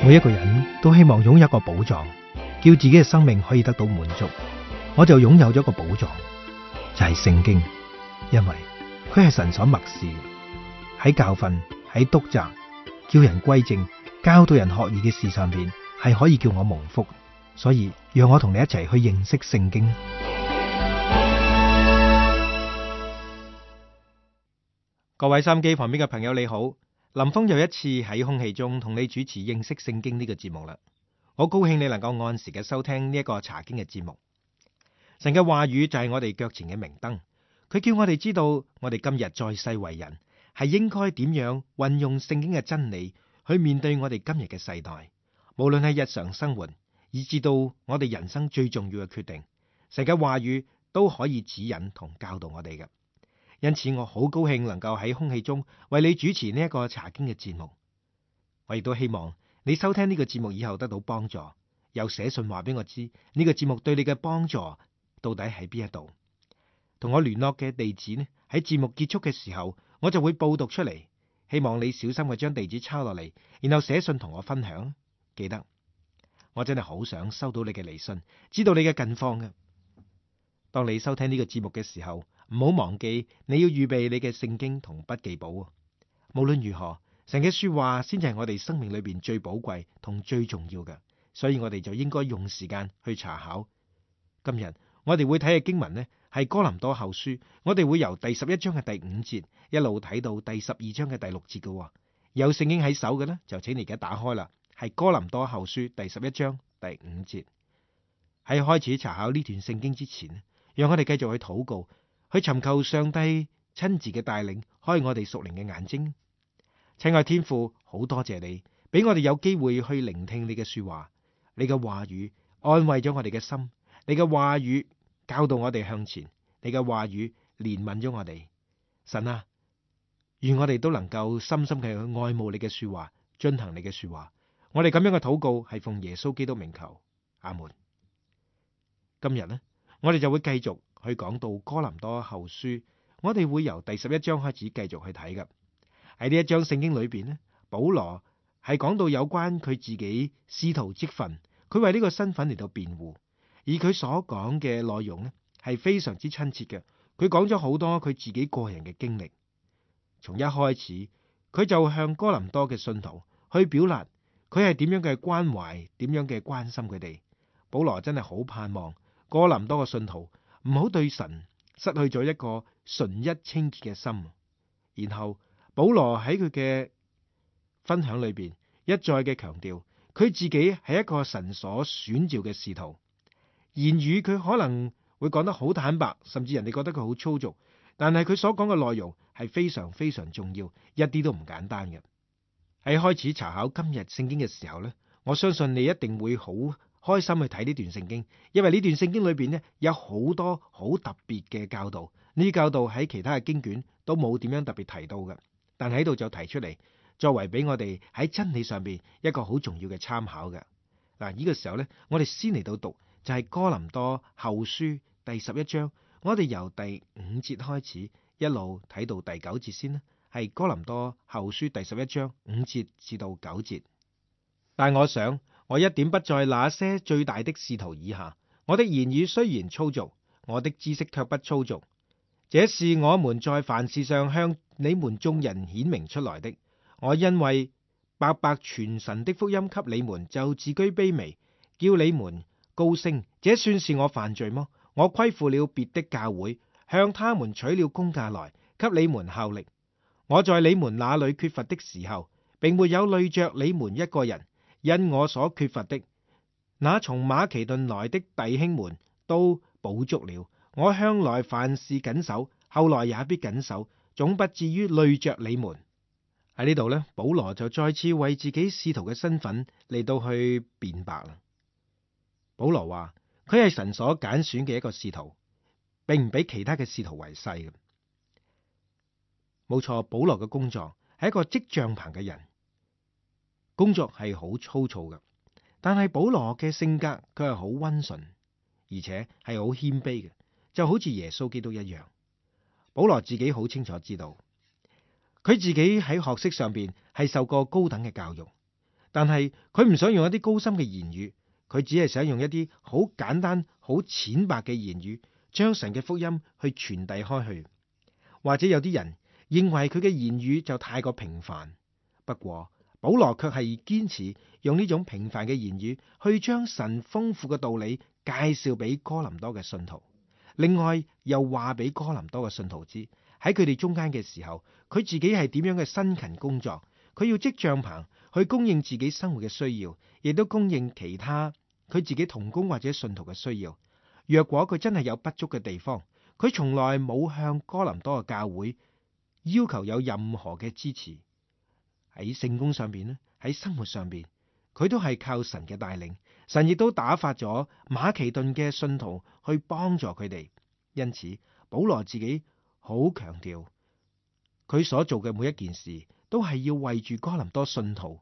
每一個人都希望擁有一個寶藏，叫自己嘅生命可以得到滿足。我就擁有咗一個寶藏，就係聖經，因為佢係神所默示，喺教訓、喺督責、叫人歸正、教導人學義嘅事上邊，係可以叫我蒙福。所以讓我同你一齊去認識聖經。各位收音機旁邊嘅朋友你好，林峰又一次喺空氣中同你主持認識聖經呢個節目啦。我高興你能夠按時嘅收聽呢一個查經嘅節目。神嘅話語就係我哋腳前嘅明燈，佢叫我哋知道我哋今日在世為人係應該點樣運用聖經嘅真理去面對我哋今日嘅世代，無論係日常生活，以至到我哋人生最重要嘅決定，神嘅話語都可以指引同教導我哋嘅。因此我好高興能夠喺空氣中為你主持呢一個查經嘅節目。我亦都希望你收聽呢個節目以後得到幫助，又寫信話俾我知呢個節目對你嘅幫助到底喺邊一度。同我聯絡嘅地址呢，喺節目結束嘅時候我就會報讀出嚟，希望你小心嘅將地址抄落嚟，然後寫信同我分享。記得我真係好想收到你嘅嚟信，知道你嘅近況嘅。當你收聽呢個節目嘅時候，唔好忘記你要預備你嘅聖經同筆記簿。無論如何，神嘅說話先至係我哋生命裏邊最寶貴同最重要嘅，所以我哋就應該用時間去查考。今日我哋會睇嘅經文呢，係哥林多後書，我哋會由第11章嘅第5節一路睇到第12章嘅第6節嘅。有聖經喺手嘅呢，就請你而家打開啦，係哥林多後書第11章第5節。喺開始查考呢段聖經之前，讓我哋繼續去禱告，去尋求上帝親自嘅帶領，開我哋屬靈嘅眼睛。親愛天父，好多謝你俾我哋有機會去聆聽你嘅說話，你嘅話語安慰咗我哋嘅心，你嘅話語教導我哋向前，你嘅話語憐憫咗我哋。神啊，願我哋都能夠深深嘅去愛慕你嘅說話，遵行你嘅說話。我哋咁樣嘅禱告係奉耶穌基督名求，阿門。今日呢，我哋就會繼續去講到哥林多後書，我哋會由第11章開始繼續去睇㗎。喺呢一章聖經裏邊呢，保羅係講到有關佢自己使徒職分，佢為呢個身份嚟到辯護，而佢所講嘅內容呢係非常之親切嘅。佢講咗好多佢自己個人嘅經歷，從一開始佢就向哥林多嘅信徒去表達佢係點樣嘅關懷，點樣嘅關心佢哋。保羅真係好盼望哥林多嘅信徒唔好對神失去咗一個純一清潔嘅心。然後保羅喺佢嘅分享裏邊一再嘅強調，佢自己係一個神所選召嘅使徒。言語佢可能會講得好坦白，甚至人哋覺得佢好粗俗，但係佢所講嘅內容係非常非常重要，一啲都唔簡單嘅。喺開始查考今日聖經嘅時候呢，我相信你一定會好開心去睇呢段聖經，因為呢段聖經裏邊呢有好多好特別嘅教導，呢啲教導喺其他嘅經卷都冇點樣特別提到嘅，但喺度就提出嚟，作為俾我哋喺真理上邊一個好重要嘅參考嘅。嗱，呢個時候呢，我哋先嚟到讀就係哥林多後書第11章，我哋由第5節開始一路睇到第9節先啦，係哥林多後書第11章5節至到9節。但我想我一點不在那些最大的使徒以下，我的言語雖然粗俗，我的知識卻不粗俗。這是我們在凡事上向你們眾人顯明出來的。我因為白白傳神的福音給你們，就自居卑微，叫你們高升。這算是我犯罪麼？我虧負了別的教會，向他們取了工價來，給你們效力。我在你們那裏缺乏的時候，並沒有累着你們一個人。因我所缺乏的，那從馬其頓來的弟兄們都補足了。我向來凡事謹守，後來也必謹守，總不至於累着你們。喺呢度呢，保羅就再次為自己使徒嘅身份嚟到去辯白啦。保羅話佢係神所揀選嘅一個使徒，並唔比其他嘅使徒為細嘅。冇錯，保羅嘅工作係一個織帳篷嘅人。工作係好粗糙嘅，但係保羅嘅性格佢係好溫順，而且係好謙卑嘅，就好似耶穌基督一樣。保羅自己好清楚知道，佢自己喺學識上邊係受過高等嘅教育，但係佢唔想用一啲高深嘅言語，佢只係想用一啲好簡單、好淺白嘅言語，將神嘅福音去傳遞開去。或者有啲人認為佢嘅言語就太過平凡，不過保羅卻係堅持用呢種平凡嘅言語去將神豐富嘅道理介紹俾哥林多嘅信徒。另外又話俾哥林多嘅信徒知，喺佢哋中間嘅時候，佢自己係點樣嘅辛勤工作，佢要織帳篷去供應自己生活嘅需要，亦都供應其他佢自己同工或者信徒嘅需要。若果佢真係有不足嘅地方，佢從來冇向哥林多嘅教會要求有任何嘅支持。喺聖工上邊咧，喺生活上邊，佢都係靠神嘅帶領，神亦都打發咗馬其頓嘅信徒去幫助佢哋。因此保羅自己好強調，佢所做嘅每一件事都係要為住哥林多信徒，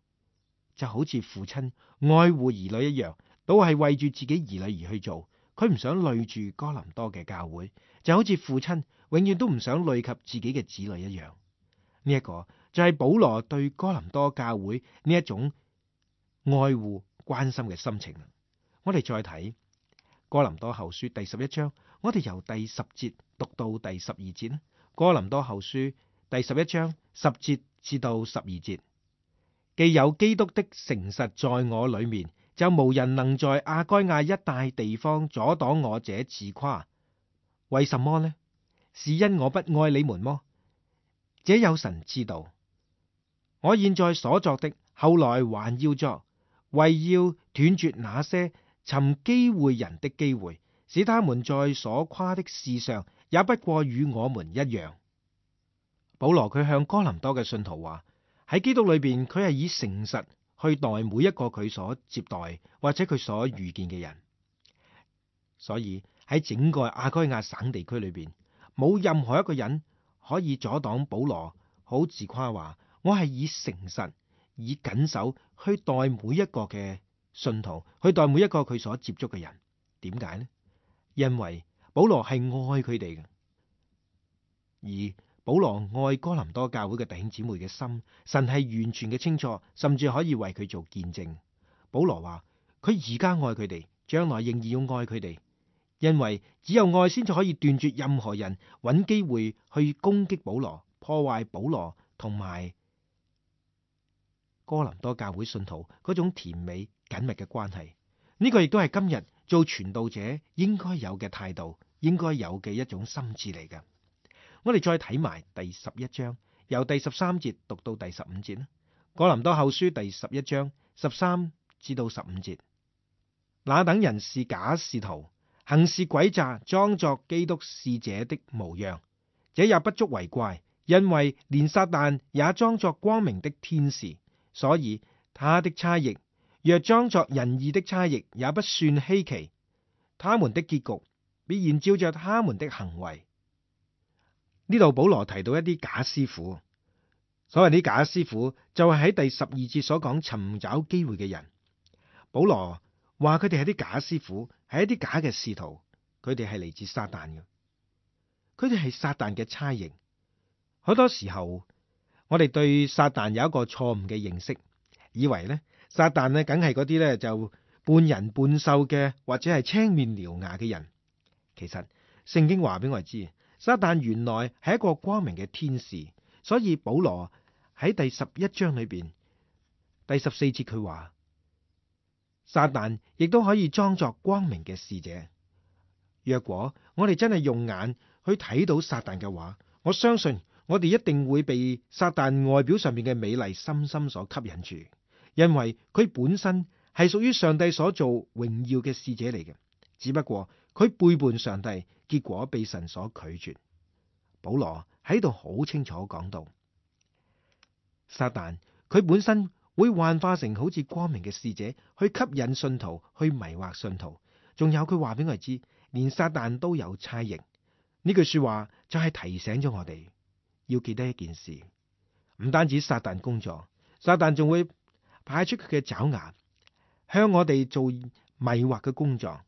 就好似父親愛護兒女一樣，都係為住自己兒女而去做。佢唔想累住哥林多嘅教會，就好似父親永遠都唔想累及自己嘅子女一樣。呢一個就係保羅對哥林多教會呢一種愛護關心嘅心情。我哋再睇哥林多後書第11章，我哋由第10節讀到第12節啦。哥林多後書第11章10節至到12節，既有基督的誠實在我裏面，就無人能在亞該亞一帶地方阻擋我這自誇。為什麼呢？是因我不愛你們麼？這有神知道。我現在所作的，後來還要作，為要斷絕那些尋機會人的機會，使他們在所誇的事上也不過與我們一樣。保羅佢向哥林多嘅信徒話，喺基督裏邊，佢係以誠實去待每一個佢所接待或者佢所遇見嘅人。所以喺整個亞該亞省地區裏邊，冇任何一個人可以阻擋保羅好自誇話，我係以誠實、以謹守去待每一個嘅信徒，去待每一個佢所接觸嘅人。點解呢？因為保羅係愛佢哋嘅，而保羅愛哥林多教會嘅弟兄姊妹嘅心，神係完全嘅清楚，甚至可以為佢做見證。保羅話佢而家愛佢哋，將來仍然要愛佢哋，因為只有愛先至可以斷絕任何人揾機會去攻擊保羅、破壞保羅同埋哥林多教會信徒嗰種甜美緊密嘅關係。呢個亦都係今日做傳道者應該有嘅態度，應該有嘅一種心志嚟嘅。我哋再睇埋第11章，由第13節讀到第15節啦。哥林多後書第11章13至到15節，那等人是假使徒，行事詭詐，裝作基督使者的模樣，這也不足為怪，因為連撒旦也裝作光明的天使，所以他的差役若裝作仁義的差役，也不算稀奇。他們的結局必然照着他們的行為。呢度保羅提到一啲假師傅，所謂啲假師傅就係喺第12節所講尋找機會嘅人。保羅話佢哋係啲假師傅，係一啲假嘅使徒，佢哋係嚟自撒旦嘅，佢哋係撒旦嘅差役。好多時候我哋對撒旦有一個錯誤嘅認識，以為呢撒旦呢梗係嗰啲呢就半人半獸嘅，或者係青面獠牙嘅人。其實聖經話俾我哋知，撒旦原來係一個光明嘅天使，所以保羅喺第11章裏邊第14節佢話，撒旦亦都可以裝作光明嘅使者。若果我哋真係用眼去睇到撒旦嘅話，我相信我哋一定會被撒旦外表上面嘅美麗深深所吸引住，因為佢本身係屬於上帝所做榮耀嘅使者嚟嘅，只不過佢背叛上帝，結果被神所拒絕。保羅喺度好清楚講到，撒旦佢本身會幻化成好似光明嘅使者，去吸引信徒，去迷惑信徒。仲有佢話俾我哋知，連撒旦都有差役。呢句說話就係提醒咗我哋要記得一件事，唔單止撒旦工作，撒旦仲會派出佢嘅爪牙向我哋做迷惑嘅工作。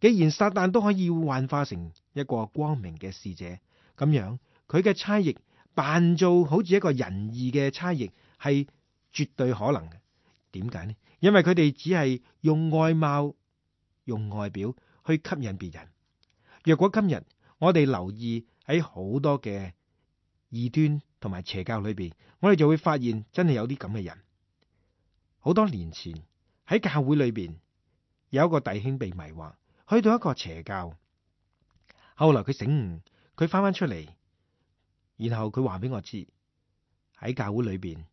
既然撒旦都可以幻化成一個光明嘅使者，咁樣佢嘅差役扮做好似一個仁義嘅差役係絕對可能嘅。點解呢？因為佢哋只係用外貌、用外表去吸引別人。若果今日我哋留意喺好多嘅異端同埋邪教裏邊，我哋就會發現真係有啲咁嘅人。好多年前喺教會裏邊有一個弟兄被迷惑，去到一個邪教，後來佢醒悟，佢翻返出嚟，然後佢話俾我知喺教會裏邊，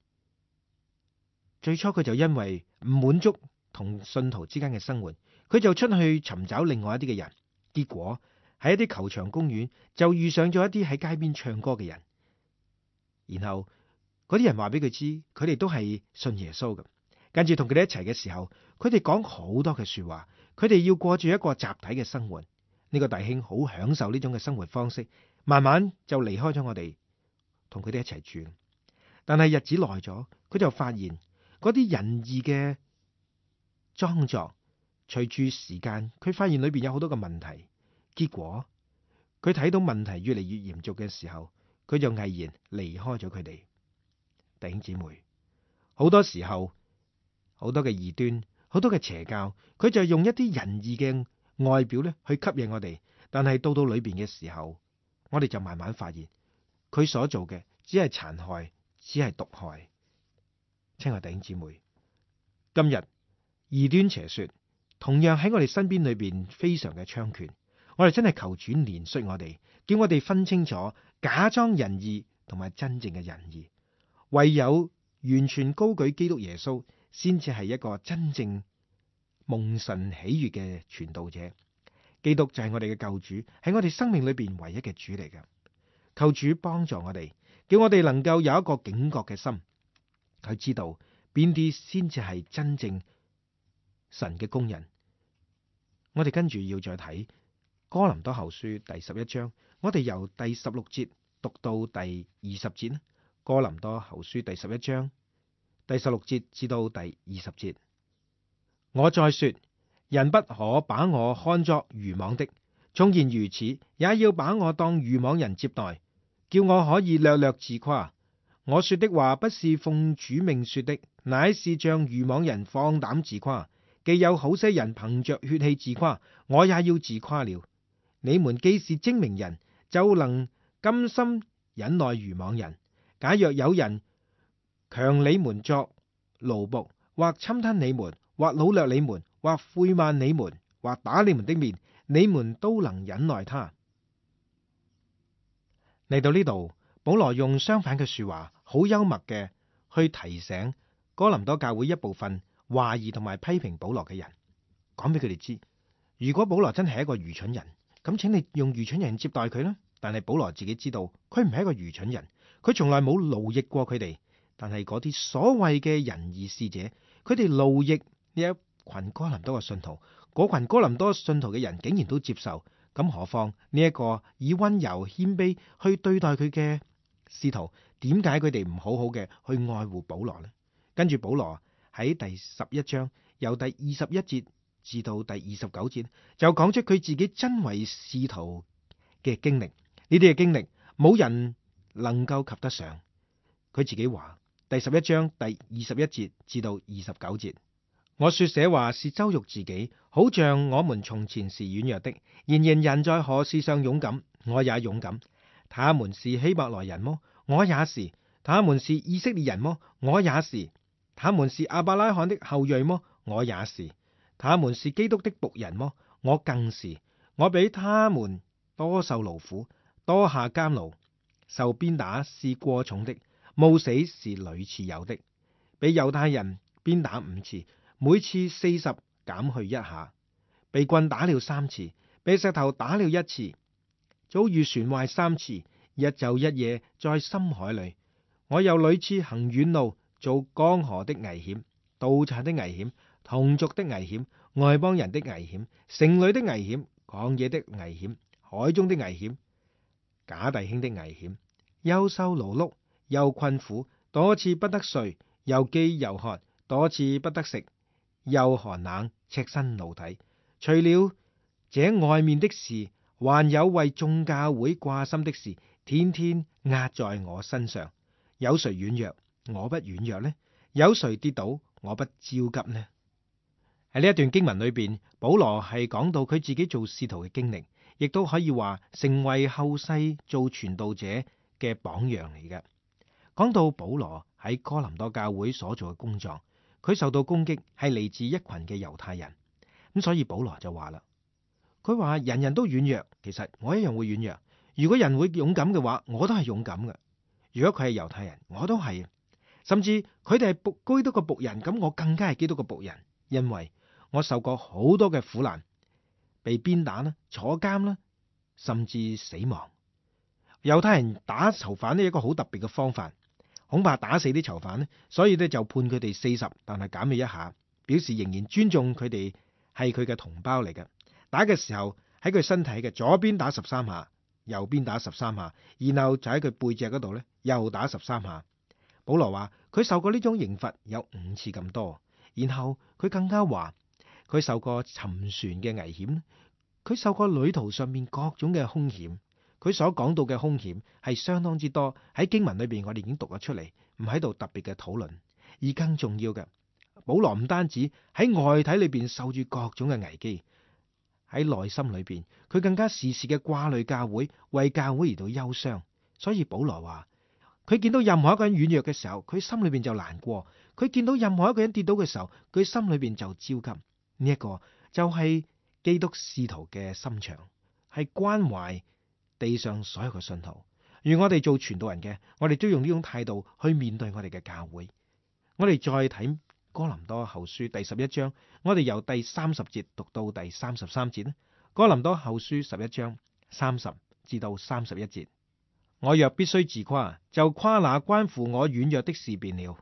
最初佢就因為唔滿足同信徒之間嘅生活，佢就出去尋找另外一啲嘅人，結果喺一啲球場公園就遇上咗一啲喺街邊唱歌嘅人，然後嗰啲人話俾佢知，佢哋都係信耶穌嘅。跟住同佢哋一齊嘅時候，佢哋講好多嘅說話，佢哋要過住一個集體嘅生活。呢個弟兄好享受呢種嘅生活方式，慢慢就離開咗我哋，同佢哋一齊住。但係日子耐咗，佢就發現嗰啲仁義嘅裝作，隨住時間，佢發現裏邊有好多嘅問題。結果佢睇到問題越嚟越嚴重嘅時候，佢就毅然離開咗佢哋。弟兄姊妹，好多時候，好多嘅異端，好多嘅邪教，佢就用一啲仁義嘅外表咧去吸引我哋，但係到裏邊嘅時候，我哋就慢慢發現佢所做嘅只係殘害，只係毒害。親愛弟兄姊妹，今日異端邪說同樣喺我哋身邊裏邊非常嘅猖獗，我哋真係求主憐恤我哋，叫我哋分清楚假裝仁義同埋真正嘅仁義。唯有完全高舉基督耶穌，先至係一個真正蒙神喜悅嘅傳道者。基督就係我哋嘅救主，係我哋生命裏邊唯一嘅主嚟嘅。求主幫助我哋，叫我哋能夠有一個警覺嘅心，去知道邊啲先至係真正神嘅工人。我哋跟住要再睇哥林多後書第11章，我哋由第16節讀到第20節。哥林多後書第11章第16節至到第20節。我再說，人不可把我看作愚妄的，縱然如此，也要把我當愚妄人接待，叫我可以略略自誇。我說的話不是奉主命說的，乃是像愚妄人放膽自誇。既有好些人憑着血氣自誇，我也要自誇了。你們既是精明人，就能甘心忍耐愚妄人。假若有人強你們作奴僕，或侵吞你們，或擄掠你們，或侮慢你們，或打你們的面，你們都能忍耐他。嚟到呢度，保羅用相反嘅說話，好幽默嘅去提醒哥林多教會一部分懷疑同埋批評保羅嘅人，講俾佢哋知，如果保羅真係一個愚蠢人，咁請你用愚蠢人接待佢啦。但係保羅自己知道，佢唔係一個愚蠢人，佢從來冇奴役過佢哋。但係嗰啲所謂嘅仁義使者，佢哋奴役呢一群哥林多嘅信徒，嗰群哥林多信徒嘅人竟然都接受，咁何況呢一個以溫柔謙卑去對待佢嘅使徒，點解佢哋唔好好嘅去愛護保羅呢？跟住保羅喺第11章由第21節至到第29節，就講出佢自己真為使徒嘅經歷。呢啲嘅經歷冇人能夠及得上。佢自己話，第11章第21節至到29節，我說這話是羞辱自己，好像我們從前是軟弱的，然而人在何事上勇敢，我也勇敢。他們是希伯來人麼？我也是。他們是以色列人麼？我也是。他們是亞伯拉罕的後裔麼？我也是。他們是基督的僕人麼？我更是。我比他們多受勞苦，多下監牢，受鞭打是過重的，冒死是屢次有的。被猶太人鞭打5次，每次40減去1下，被棍打了3次，被石頭打了1次，遭遇船壞3次，一晝一夜在深海裏。我又屢次行遠路，做江河的危險，盜賊的危險，同族的危險，外邦人的危險，城裏的危險，曠野的危險，海中的危險，假弟兄的危險，又受勞碌，又困苦，多次不得睡，又飢又渴，多次不得食，又寒冷，赤身露體。除了這外面的事，還有為眾教會掛心的事，天天壓在我身上。有誰軟弱，我不軟弱呢？有誰跌倒，我不焦急呢？喺呢一段經文裏邊，保羅係講到佢自己做使徒嘅經歷，亦都可以話成為後世做傳道者嘅榜樣嚟嘅。講到保羅喺哥林多教會所做嘅工作，佢受到攻擊係嚟自一群嘅猶太人，咁所以保羅就話啦，佢話人人都軟弱，其實我一樣會軟弱。如果人會勇敢嘅話，我都係勇敢嘅。如果佢係猶太人，我都係，甚至佢哋係基督嘅僕人，咁我更加係基督嘅僕人，因為我受過好多嘅苦難，被鞭打啦、坐監啦，甚至死亡。猶太人打囚犯呢，一個好特別嘅方法，恐怕打死啲囚犯呢，所以呢就判佢哋40，但係減去一下，表示仍然尊重佢哋係佢嘅同胞嚟嘅。打嘅時候喺佢身體嘅左邊打13下，右邊打13下，然後就喺佢背脊嗰度呢又打13下。保羅話佢受過呢種刑罰有5次咁多，然後佢更加話佢受過沉船嘅危險，佢受過旅途上面各種嘅凶險。佢所講到嘅凶險係相當之多，喺經文裏邊我哋已經讀咗出嚟，唔喺度特別嘅討論。而更重要嘅，保羅唔單止喺外體裏邊受住各種嘅危機，喺內心裏邊佢更加時時嘅掛慮教會，為教會而到憂傷。所以保羅話佢見到任何一個人軟弱嘅時候，佢心裏邊就難過；佢見到任何一個人跌倒嘅時候，佢心裏邊就焦急。呢一個就係基督使徒嘅心腸，係關懷地上所有嘅信徒。如我哋做傳道人嘅，我哋都用呢種態度去面對我哋嘅教會。我哋再睇哥林多後書第11章，我哋由第30節讀到第33節咧。哥林多後書11章30至到31節，我若必須自誇，就誇那關乎我軟弱的事便了。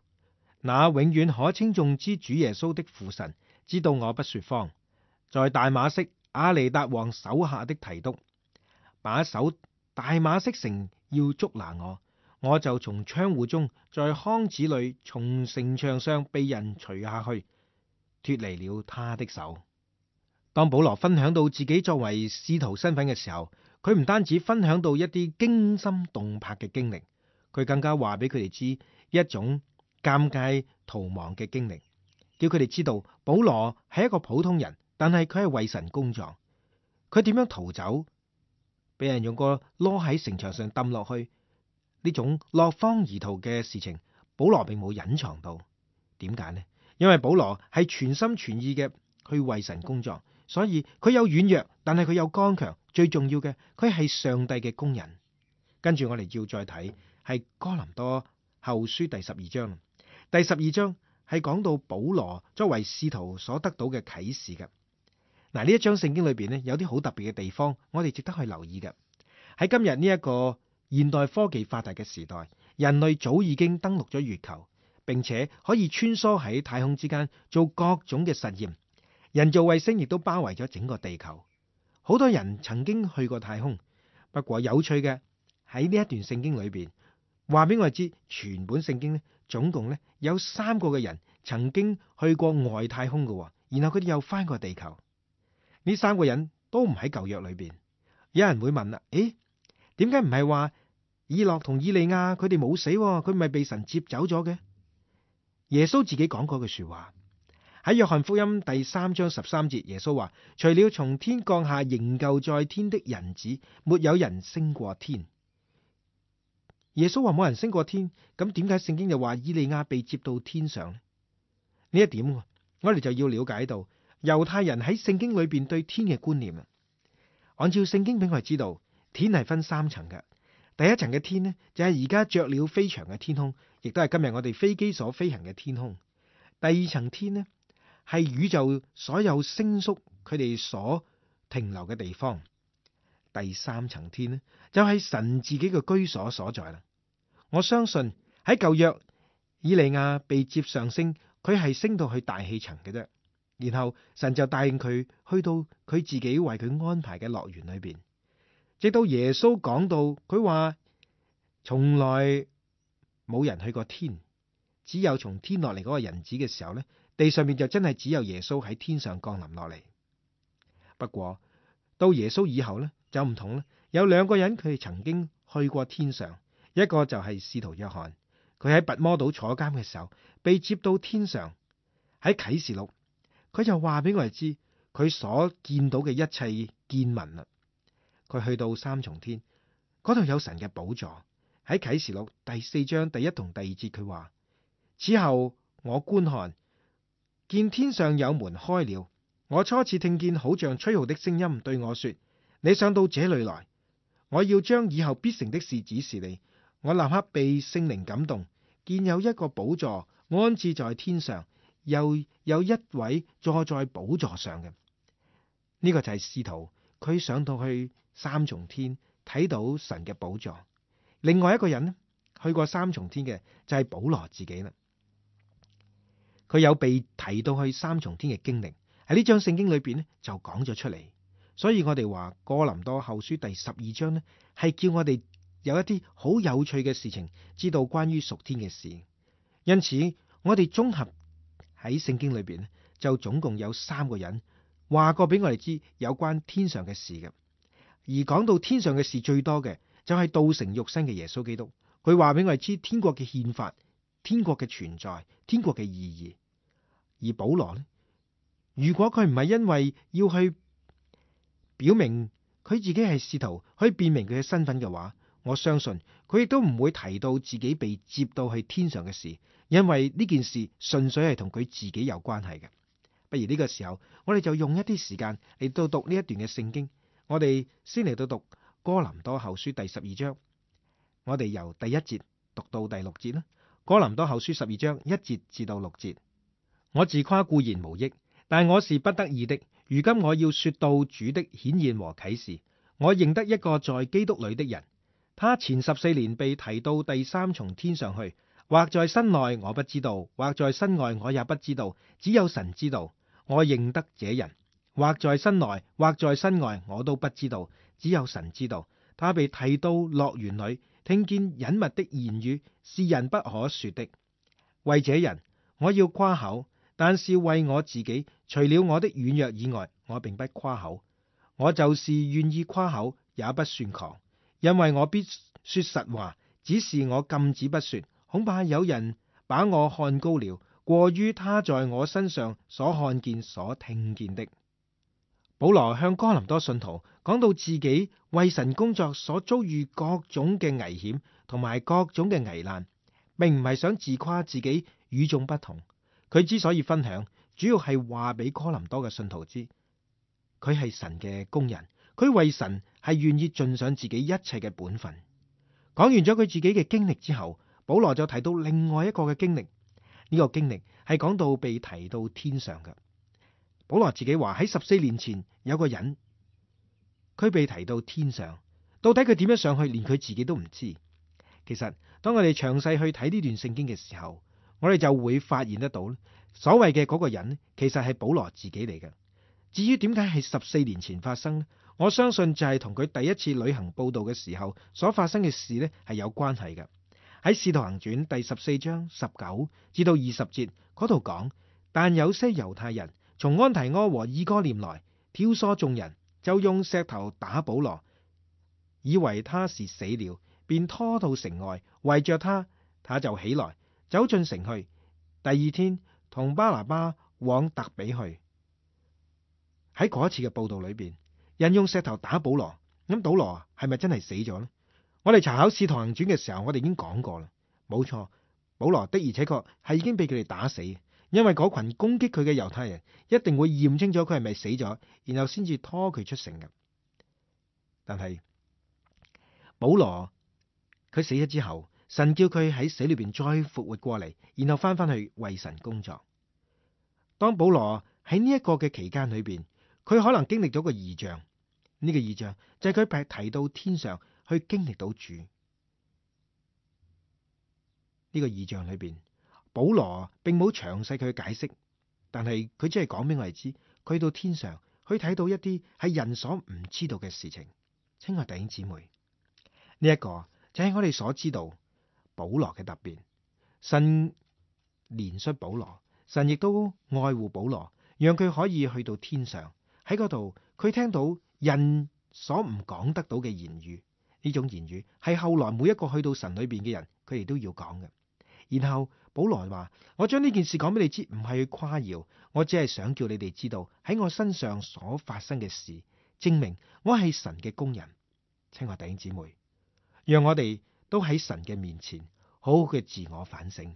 那永遠可稱頌之主耶穌的父神，知道我不說謊。在大馬色亞尼達王手下的提督，把守大馬色城要捉拿我，我就從窗戶中，在筐子裏，從城牆上被人除下去，脫離了他的手。當保羅分享到自己作為使徒身份嘅時候，佢唔單止分享到一啲驚心動魄嘅經歷，佢更加話俾佢哋知一種尷尬逃亡嘅經歷，叫佢哋知道保羅係一個普通人，但係佢係為神工作。佢點樣逃走，俾人用個籮喺城牆上抌落去，呢種落荒而逃嘅事情，保羅並冇隱藏到。點解呢？因為保羅係全心全意嘅去為神工作，所以佢有軟弱，但係佢有剛強。最重要嘅，佢係上帝嘅工人。跟住我哋要再睇係哥林多後書第12章。第12章係講到保羅作為使徒所得到嘅啟示嘅。嗱，呢一章聖經裏邊呢，有啲好特別嘅地方，我哋值得去留意嘅。喺今日呢一個現代科技發達嘅時代，人類早已經登陸咗月球，並且可以穿梭喺太空之間做各種嘅實驗。人造衛星亦都包圍咗整個地球。好多人曾經去過太空，不過有趣嘅喺呢一段聖經裏邊，話俾我哋知，全本聖經呢，總共呢有3個嘅人曾經去過外太空嘅，然後佢哋又翻過地球。呢3個人都唔喺舊約裏邊。有人會問啦，點解唔係話以諾同以利亞佢哋冇死，佢咪被神接走咗嘅？耶穌自己講過句說話。喺約翰福音第3章13節，耶穌話：除了從天降下仍舊在天的人子，沒有人升過天。耶穌話冇人升過天，咁點解聖經又話以利亞被接到天上呢？呢一點我哋就要了解到猶太人喺聖經裏邊對天嘅觀念。按照聖經俾我哋知道，天係分3層嘅。第一層嘅天呢，就係而家雀鳥飛翔嘅天空，亦都係今日我哋飛機所飛行嘅天空。第2層天呢，係宇宙所有星宿佢哋所停留嘅地方。第3層天呢，就係神自己嘅居所所在啦。我相信喺舊約以利亞被接上升，佢係升到去大氣層嘅啫，然後神就帶領佢去到佢自己為佢安排嘅樂園裏邊。直到耶穌講到佢話從來冇人去過天，只有從天落嚟嗰個人子嘅時候呢，地上面就真係只有耶穌喺天上降臨落嚟。不過到耶穌以後呢，就唔同啦，有2個人佢哋曾經去過天上，一個就係使徒約翰，佢喺拔摩島坐監嘅時候被接到天上，喺啟示錄，佢就話俾我哋知佢所見到嘅一切見聞啦。佢去到三重天，嗰度有神嘅寶座。喺啟示錄第4章第1同第2節，佢話：此後我觀看，見天上有門開了，我初次聽見好像吹號的聲音對我說：你上到這裏來，我要將以後必成的事指示你。我立刻被聖靈感動，見有一個寶座安置在天上，又有一位坐在寶座上嘅。呢個就係使徒，佢上到去三重天睇到神嘅寶座。另外一個人呢，去過三重天嘅就係保羅自己啦。佢有被提到去三重天嘅經歷，喺呢章聖經裏邊呢就講咗出嚟。所以我哋話哥林多後書第12章呢係叫我哋有一啲好有趣嘅事情，知道關於屬天嘅事。因此我哋綜合喺聖經裏邊就總共有3個人話過俾我哋知有關天上嘅事嘅。而講到天上嘅事最多嘅就係道成肉身嘅耶穌基督。佢話俾我哋知天國嘅憲法、天國嘅存在、天國嘅意義。而保羅呢，如果佢唔係因為要去表明佢自己係使徒，可以辨明佢嘅身份嘅話，我相信佢亦都唔會提到自己被接到去天上嘅事，因為呢件事純粹係同佢自己有關係嘅。不如呢個時候，我哋就用一啲時間嚟到讀呢一段嘅聖經。我哋先嚟到讀哥林多後書第12章，我哋由第1節讀到第6節啦。哥林多後書12章1節至到6節。我自誇固然無益，但我是不得已的。如今我要說到主的顯現和啟示。我認得一個在基督裏的人，他前14年被提到第3重天上去，或在身內我不知道，或在身外我也不知道，只有神知道。我認得這人，或在身內，或在身外，我都不知道，只有神知道。他被提到樂園裏，聽見隱密的言語，是人不可說的。為這人，我要誇口，但是為我自己，除了我的軟弱以外，我並不誇口。我就是願意誇口，也不算狂，因為我必說實話，只是我禁止不說，恐怕有人把我看高了，過於他在我身上所看見、所聽見的。保羅向哥林多信徒講到自己為神工作所遭遇各種嘅危險同埋各種嘅危難，並唔係想自誇自己與眾不同。佢之所以分享，主要係話俾哥林多嘅信徒知，佢係神嘅工人，佢為神係願意盡上自己一切嘅本分。講完咗佢自己嘅經歷之後，保羅就提到另外一個嘅經歷。呢個經歷係講到被提到天上嘅。保羅自己話喺14年前有個人，佢被提到天上，到底佢點樣上去，連佢自己都唔知。其實當我哋詳細去睇呢段聖經嘅時候，我哋就會發現得到，所謂嘅嗰個人其實係保羅自己嚟嘅。至於點解係14年前發生呢？我相信就係同佢第一次旅行佈道嘅時候所發生嘅事呢係有關係嘅。喺使徒行傳第14章19至到20節嗰度講，但有些猶太人從安提阿和以哥念來，挑唆眾人，就用石頭打保羅，以為他是死了，便拖到城外，圍着他，他就起來，走進城去。第2天同巴拿巴往特比去。喺嗰一次嘅報道裏邊，人用石頭打保羅，咁保羅係咪真係死咗呢？我哋查考使徒行傳嘅時候，我哋已經講過啦，冇錯，保羅的而且確係已經被佢哋打死。因為嗰群攻擊佢嘅猶太人一定會驗清楚佢係咪死咗，然後先至拖佢出城嘅。但係保羅佢死咗之後，神叫佢喺死裏邊再復活過嚟，然後翻返去為神工作。當保羅喺呢一個嘅期間裏邊，佢可能經歷咗個異象。呢個異象就係佢被提到天上去經歷到主。呢個異象裏邊，保羅並冇詳細佢解釋，但係佢只係講俾我哋知，佢到天上去睇到一啲係人所唔知道嘅事情。親愛弟兄姊妹，呢一個就係我哋所知道保羅嘅特別。神憐恤保羅，神亦都愛護保羅，讓佢可以去到天上。喺嗰度，佢聽到人所唔講得到嘅言語。呢種言語係後來每一個去到神裏邊嘅人，佢哋都要講嘅。然後保羅話：我將呢件事講俾你知，唔係去誇耀，我只係想叫你哋知道喺我身上所發生嘅事，證明我係神嘅工人。親愛弟兄姊妹，讓我哋都喺神嘅面前好好嘅自我反省，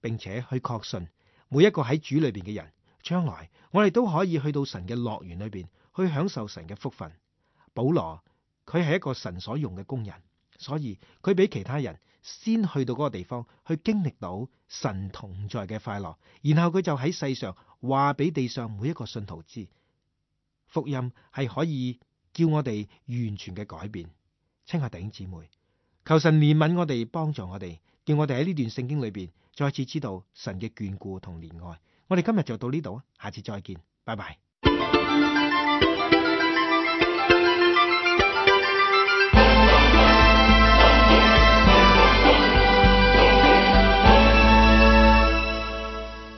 並且去確信每一個喺主裏邊嘅人，將來我哋都可以去到神嘅樂園裏邊去享受神嘅福分。保羅佢係一個神所用嘅工人，所以佢比其他人先去到嗰個地方去經歷到神同在嘅快樂，然後佢就喺世上話俾地上每一個信徒知，福音係可以叫我哋完全嘅改變。親愛弟兄姊妹，求神憐憫我哋，幫助我哋，叫我哋喺呢段聖經裏邊再次知道神嘅眷顧同憐愛。我哋今日就到呢度，下次再見，拜拜。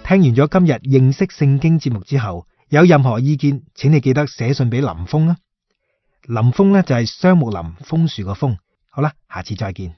聽完咗今日認識聖經節目之後，有任何意見，請你記得寫信俾林峰啊。林峰呢就係雙木林楓樹個楓。好啦，下次再見。